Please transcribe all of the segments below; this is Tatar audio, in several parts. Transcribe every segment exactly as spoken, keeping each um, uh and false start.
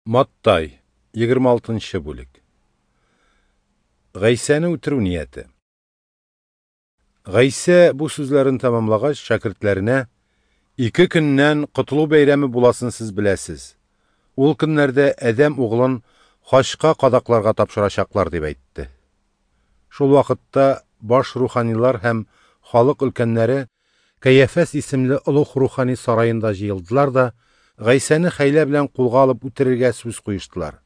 Маттай, егерме алтынчы бүлек. Гайсәне үтерү нияте. Гайсә бу сүзләрен тәмамлагач, шәкертләренә: "Ике көннән Котылу бәйрәме буласын сез беләсез. Ул көннәрдә Адәм углын хачка кадакларга тапшырачаклар", дип әйтте. Шул вакытта баш руханилар һәм халык өлкәннәре Каяфас исемле олуг рухани сараенда җыелдылар да Гайсәне хәйлә белән кулга алып үтерергә сүз куештылар.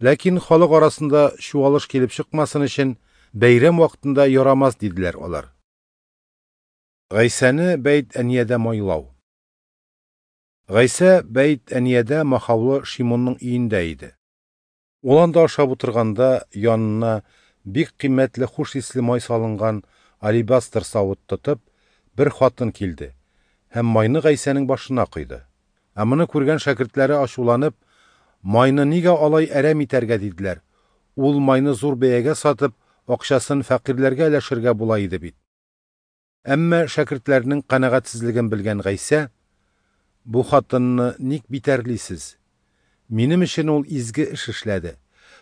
Ләкин халык арасында чуалыш килеп чыкмасын өчен бәйрәм вакытында ярамас диделәр алар. Гайсәне Бәйт-Әниядә майлау. Гайсә Бәйт-Әниядә махаулы Шимонның өендә иде. Ул анда ашап утырганда янына бик кыйммәтле хуш исле май салынган алебастр савыт тотып бер хатын килде һәм майны Гайсәнең башына койды. Ә моны күргән шәкертләре ачуланып, майны нигә алай әрәм итәргә диделәр. Ул майны зур бәягә сатып, акчасын фәкыйрьләргә өләшергә була иде бит. Әмма шәкертләрнең канәгатьсезлеген белгән Гайсә: "Бу хатынны ник битәрлисез? Минем өчен ул изге эш эшләде.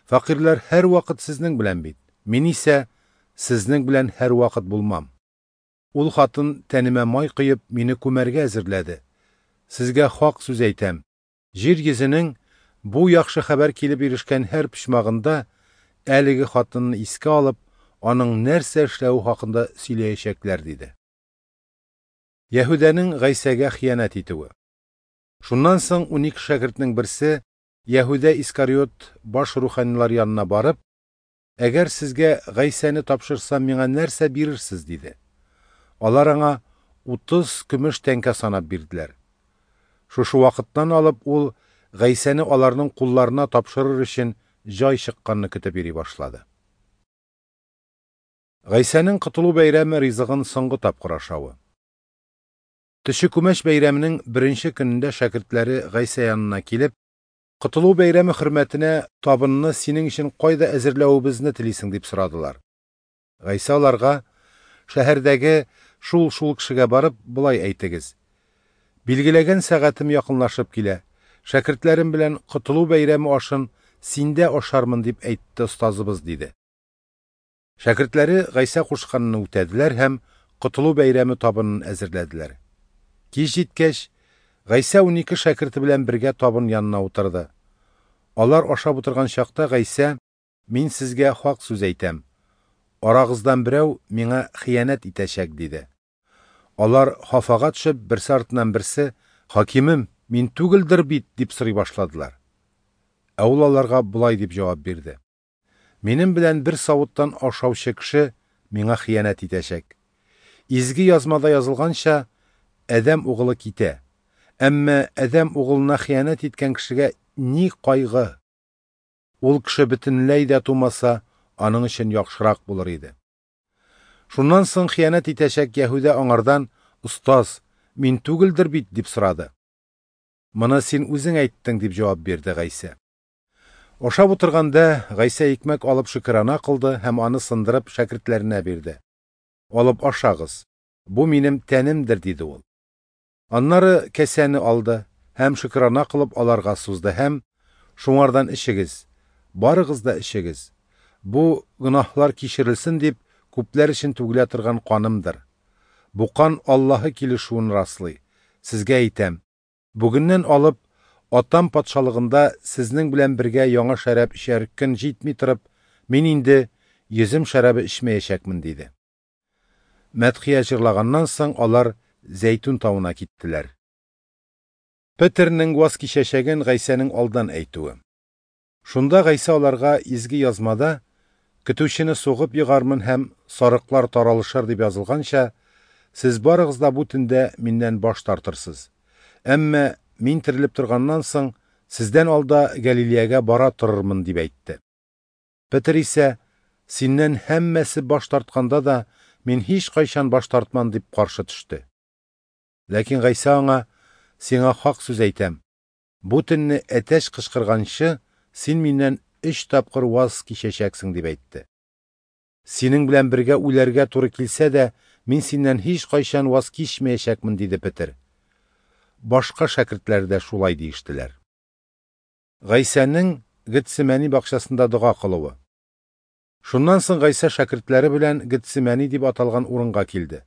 Фәкыйрьләр һәрвакыт сезнең белән бит. Мин исә сезнең белән һәрвакыт булмам. Ул хатын тәнемә май коеп мине күмәргә әзерләде. Сезгә хак сүз әйтәм. Җир йөзенең бу яхшы хәбәр килеп ирешкән һәр почмагында әлеге хатынны искә алып, аның нәрсә эшләве хакында сөйләячәкләр", диде. Яһүдәнең Гайсәгә хыянәт итүе. Шуннан соң унике шәкертнең берсе Яһүдә Искариот баш руханилар янына барып: "Әгәр сезгә Гайсәне тапшырсам, миңа нәрсә бирерсез?" диде. Алар аңа утыз көмеш тәңкә санап бирделәр. Шушы вакыттан алып ул Гайсәне аларның кулларына тапшырыр өчен җай чыкканны көтеп йөри башлады. Гайсәнең Котылу бәйрәме ризыгын соңгы тапкыр ашавы. Төче күмәч бәйрәменең беренче көнендә шәкертләре Гайсә янына килеп: "Котылу бәйрәме хөрмәтенә табынны синең өчен кайда әзерләвебезне телисең?" дип сорадылар. Гайсә аларга: "Шәһәрдәге шул-шул кешегә барып, болай әйтегез: Билгеләгән сәгатем якынлашып килә. Шәкертләрем белән Котылу бәйрәме ашын синдә ашармын, дип әйтте остазыбыз", диде. Шәкертләре Гайсә кушканны үтәделәр һәм Котылу бәйрәме табынын әзерләделәр. Кич җиткәч, Гайсә унике шәкерте белән бергә табын янына утырды. Алар ашап утырган чакта Гайсә: "Мин сезгә хак сүз әйтәм. Арагыздан берәү миңа хыянәт итәчәк", диде. Алар хафага төшеп, берсе артыннан берсе: "Хакимем, мин түгелдер бит?" дип сорый башладылар. Ә ул аларга болай дип җавап бирде: "Минем белән бер савыттан ашаучы кеше миңа хыянәт итәчәк. Изге язмада язылганча, Адәм углы китә. Әмма Адәм углына хыянәт иткән кешегә ни кайгы? Ул кеше бөтенләй дә тумаса, аның өчен яхшырак булыр иде". Шуннан соң хыянәт итәчәк Яһүдә аңардан: "Остаз, мин түгелдер бит?" дип сорады. "Моны син үзең әйттең", дип җавап бирде Гайсә. Ашап утырганда Гайсә икмәк алып шөкрана кылды һәм аны сындырып шәкертләренә бирде. "Алып ашагыз. Бу минем тәнемдер", диде ул. Аннары кәсәне алды һәм шөкрана кылып аларга сузды һәм: "Шуңардан эчегез, барыгыз да эчегез. Бу гөнаһлар кичерелсен дип күпләр өчен түгелә торган канымдыр. Бу кан Аллаһы килешүен раслый. Сезгә әйтәм, бүгеннән алып Атам патшалыгында сезнең белән бергә яңа шәраб эчәр көн җитми торып, мин инде йөзем шәрабы эчмәячәкмен", диде. Мәдхия җырлаганнан соң алар Зәйтүн тавына киттеләр. Петернең ваз кичәчәген Гайсәнең алдан әйтүе. Шунда Гайсә аларга изге язмада: "Көтүчене сугып егармын һәм сарыклар таралышыр" дип язылганча, сез барыгыз да бу төндә миннән баш тартырсыз. Әмма мин терелеп торганнан соң сездән алда Галилеягә бара торырмын, дип әйтте. Петер исә: "Синнән һәммәсе баш тартканда да мин һич кайчан баш тартмам", дип каршы төште. Ләкин Гайсә аңа: "Сиңа хак сүз әйтәм. Бу төнне әтәч кычкырганчы, син миннән өч тапкыр ваз кичәчәксең", дип әйтте. "Синең белән бергә үләргә туры килсә дә, мин синнән һич кайчан ваз кичмәячәкмен", диде Петер. Башка шәкертләр дә шулай диештеләр. Гайсәнең Гетсемәни бакчасында дога кылуы. Шуннан соң Гайсә шәкертләре белән Гетсемәни дип аталган урынга килде.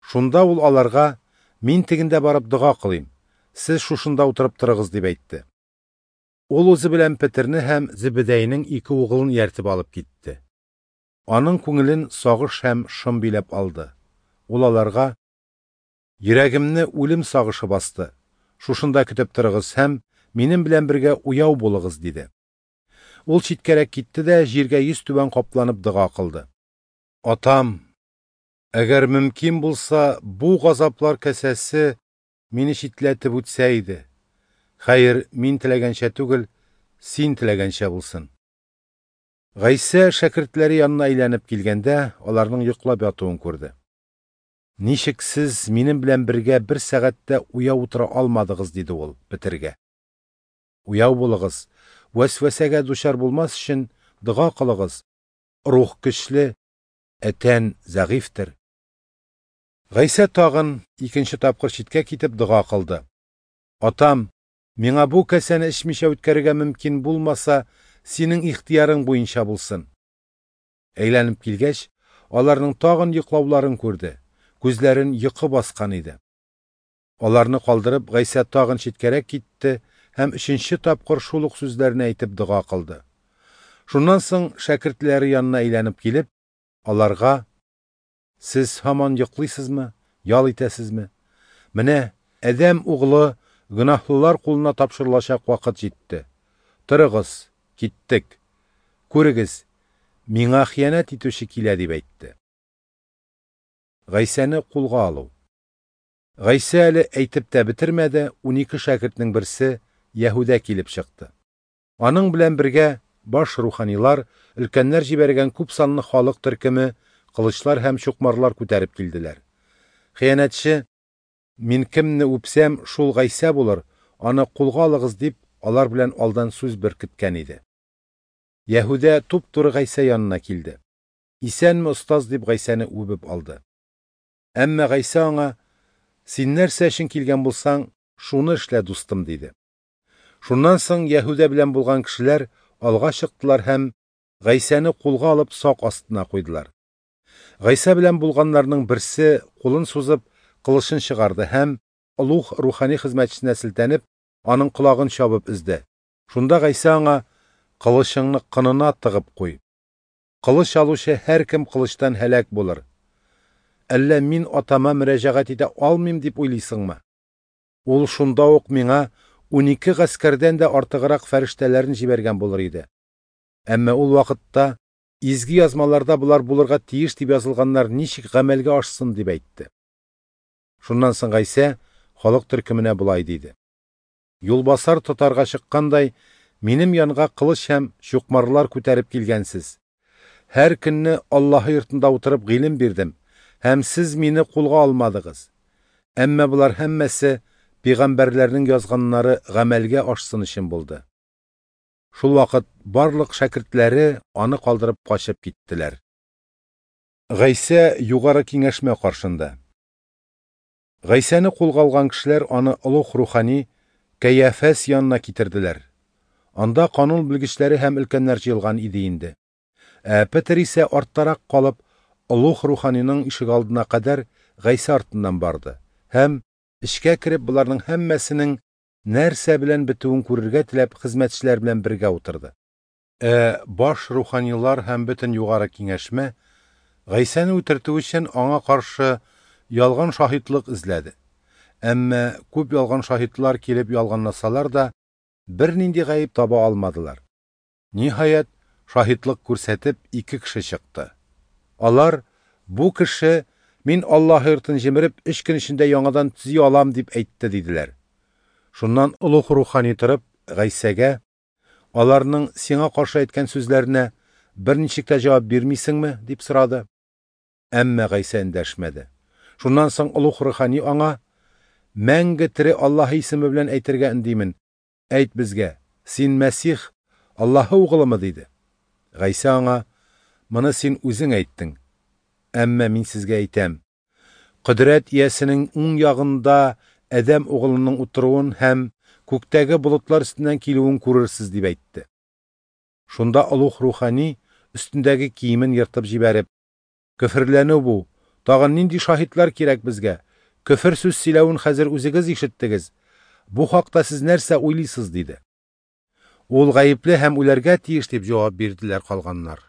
Шунда ул аларга: "Мин тегендә барып дога кылыйм, сез шушында утырып торыгыз", дип әйтте. Ул үзе белән Петерне һәм Зебедәйнең ике угылын ияртеп алып китте. Аның күңелен сагыш һәм шом биләп алды. Ул аларга: "Йөрәгемне үлем сагышы басты. Шушында көтеп торыгыз һәм минем белән бергә уяу булыгыз", диде. Ул читкәрәк китте дә җиргә йөз түбән капланып дога кылды. "Атам, әгәр мөмкин булса, бу газаплар касәсе мине читләтеп үтсә иде. Хәер, мин теләгәнчә түгел, син теләгәнчә булсын". Гайсә шәкертләре янына әйләнеп килгәндә, аларның йоклап ятуын күрде. "Ничек сез минем белән бергә бер сәгатьтә уяу утыра алмадыгыз?" диде ул Петергә. "Уяу булыгыз, вәсвәсәгә дучар булмас өчен дога кылыгыз. Рух көчле, ә тән зәгыйфьтер". Гайсә тагын икенче тапкыр читкә китеп дога кылды. "Атам, миңа бу касәне эчмичә үткәрергә мөмкин булмаса, синең ихтыярың буенча булсын". Әйләнеп килгәч, аларның тагын йоклауларын күрде. Күзләрен йокы баскан иде. Аларны калдырып, Гайсә тагын читкәрәк китте һәм өченче тапкыр шул ук сүзләрне әйтеп дога кылды. Шуннан соң шәкертләре янына әйләнеп килеп, аларга: "Сез һаман йоклыйсызмы, ял итәсезме? Менә Адәм углы гөнаһлылар кулына тапшырылачак вакыт җитте. Торыгыз, киттек. Күрегез, миңа хыянәт итүче килә", дип әйтте. Гайсәне кулга алу. Гайсә әле әйтеп тә бетермәде, унике шәкертнең берсе Яһүдә килеп чыкты. Аның белән бергә баш руханилар, өлкәннәр җибәргән күп санлы халык төркеме кылычлар һәм чукмарлар күтәреп килделәр. Хыянәтче: "Мин кемне үпсәм, шул Гайсә булыр, аны кулга алыгыз", дип, алар белән алдан сүз беркеткән иде. Яһүдә туп-туры Гайсә янына килде. "Исәнме, остаз", дип Гайсәне үбеп алды. Әмма Гайсә аңа: "Син нәрсә өчен килгән булсаң, шуны эшлә, дустым", диде. Шуннан соң Яһүдә белән булган кешеләр алга чыктылар һәм Гайсәне кулга алып сак астына куйдылар. Гайсә белән булганнарның берсе кулын сузып кылычын чыгарды һәм олуг рухани хезмәтчесенә селтәнеп, аның колагын чабып өзде. Шунда Гайсә аңа: "Кылычыңны кынына тыгып куй. Кылыч алучы һәркем кылычтан һәлак булыр. Әллә мин атама мөрәҗәгать итә алмыйм дип уйлыйсыңмы? Ул шунда ук миңа унике гаскәрдән дә артыграк фәрештәләрен җибәргән булыр иде. Әмма ул вакытта изге язмаларда болар булырга тиеш дип язылганнар ничек гамәлгә ашсын", дип әйтте. Шуннан соң Гайсә халык төркеменә болай диде: "Юлбасар тотарга чыккандай, минем янга кылыч һәм чукмарлар күтәреп килгәнсез. Һәр көнне Аллаһы йортында утырып гыйлем бирдем, һәм сез мине кулга алмадыгыз. Әмма болар һәммәсе пәйгамбәрләрнең язганнары гамәлгә ашсын өчен булды". Шул вакыт барлык шәкертләре аны калдырып качып киттеләр. Гайсә югары киңәшмә каршында. Гайсәне кулга алган кешеләр аны олуг рухани Кәяфәс янына китерделәр. Анда канун белгечләре һәм өлкәннәр җыелган иде инде. Ә Петер исә арттарак калып, олуг руханиның ишегалдына кадәр Гайсә артыннан барды һәм эчкә кереп боларның һәммәсенең нәрсә белән бетүен күрергә теләп хезмәтчеләр белән бергә утырды. Ә баш руханилар һәм бөтен югары киңәшмә Гайсәне үтертү өчен аңа каршы ялган шаһитлык эзләде. Әмма күп ялган шаһитлар килеп ялганласалар да, бернинди гаеп таба алмадылар. Ниһаять, шаһитлык күрсәтеп ике кеше чыкты. Алар: "Бу кеше мин Аллаһ йортын җимереп өч көн эчендә яңадан төзи алам дип әйтте", диделәр. Шуннан олуг рухани торып Гайсәгә: "Аларның сиңа каршы әйткән сүзләренә берничек тә җавап бирмисеңме?" дип сорады. Әмма Гайсә эндәшмәде. Шуннан соң олуг рухани аңа: "Мәңге тере Аллаһ исеме белән әйтергә өндимен. Әйт безгә, син Мәсих, Аллаһы угылымы?" диде. Гайсә аңа: "Моны син үзең әйттең. Әмма мин сезгә әйтәм: Кодрәт иясенең уң ягында Адәм угылының утыруын һәм Күктәге болытлар өстеннән килүен күрерсез, дип әйтте. Шунда олуг рухани өстендәге киемен ертып җибәреп: "Көферләнү бу! Тагын нинди шаһитлар кирәк безгә? Көфер сүз сөйләвен хәзер үзегез ишеттегез. Бу хакта сез нәрсә уйлыйсыз?" – диде. "Ул гаепле һәм үләргә тиеш", – дип җавап бирделәр калганнар.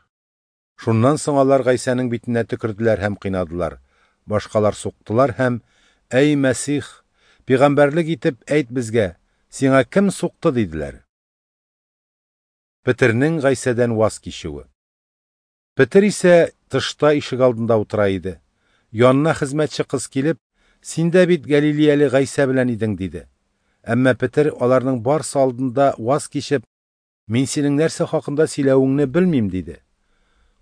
Шуннан соң алар Гайсәнең битенә төкерделәр һәм кыйнадылар. Башкалар суктылар һәм: "Әй Мәсих, пәйгамбәрлек итеп әйт безгә, сиңа кем сукты?" – диделәр. Петернең Гайсәдән ваз кичүе. Петер исә тышта ишегалдында утыра иде. Янына хезмәтче кыз килеп: "Син дә бит Галилеяле Гайсә белән идең", – диде. Әмма Петер аларның барсы алдында ваз кичеп: "Мин синең нәрсә хакында сөйләвеңне белмим", – диде.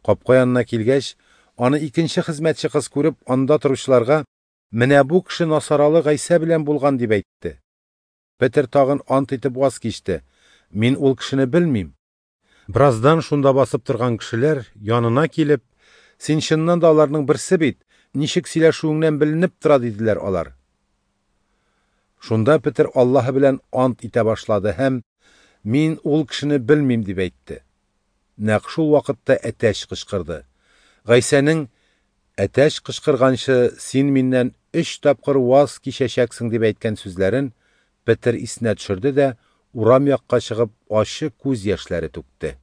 Капка янына килгәч, аны икенче хезмәтче кыз күреп, анда торучыларга: "Менә бу кеше Насаралы Гайсә белән булган", – дип әйтте. Петер тагын ант итеп ваз кичте: "Мин ул кешене белмим". Бераздан шунда басып торган кешеләр янына килеп: "Син чыннан да аларның берсе бит, ничек сөйләшүеңнән беленеп тора", – диделәр алар. Шунда Петер Аллаһы белән ант итә башлады һәм: "Мин ул кешене белмим", – дип әйтте. Нәкъ шул вакытта әтәч кычкырды. Гайсәнең: "Әтәч кычкырганчы, син миннән өч тапкыр ваз кичәчәксең", – дип әйткән сүзләрен Петер исенә төшерде дә урам якка чыгып ачы күз яшьләре түкте.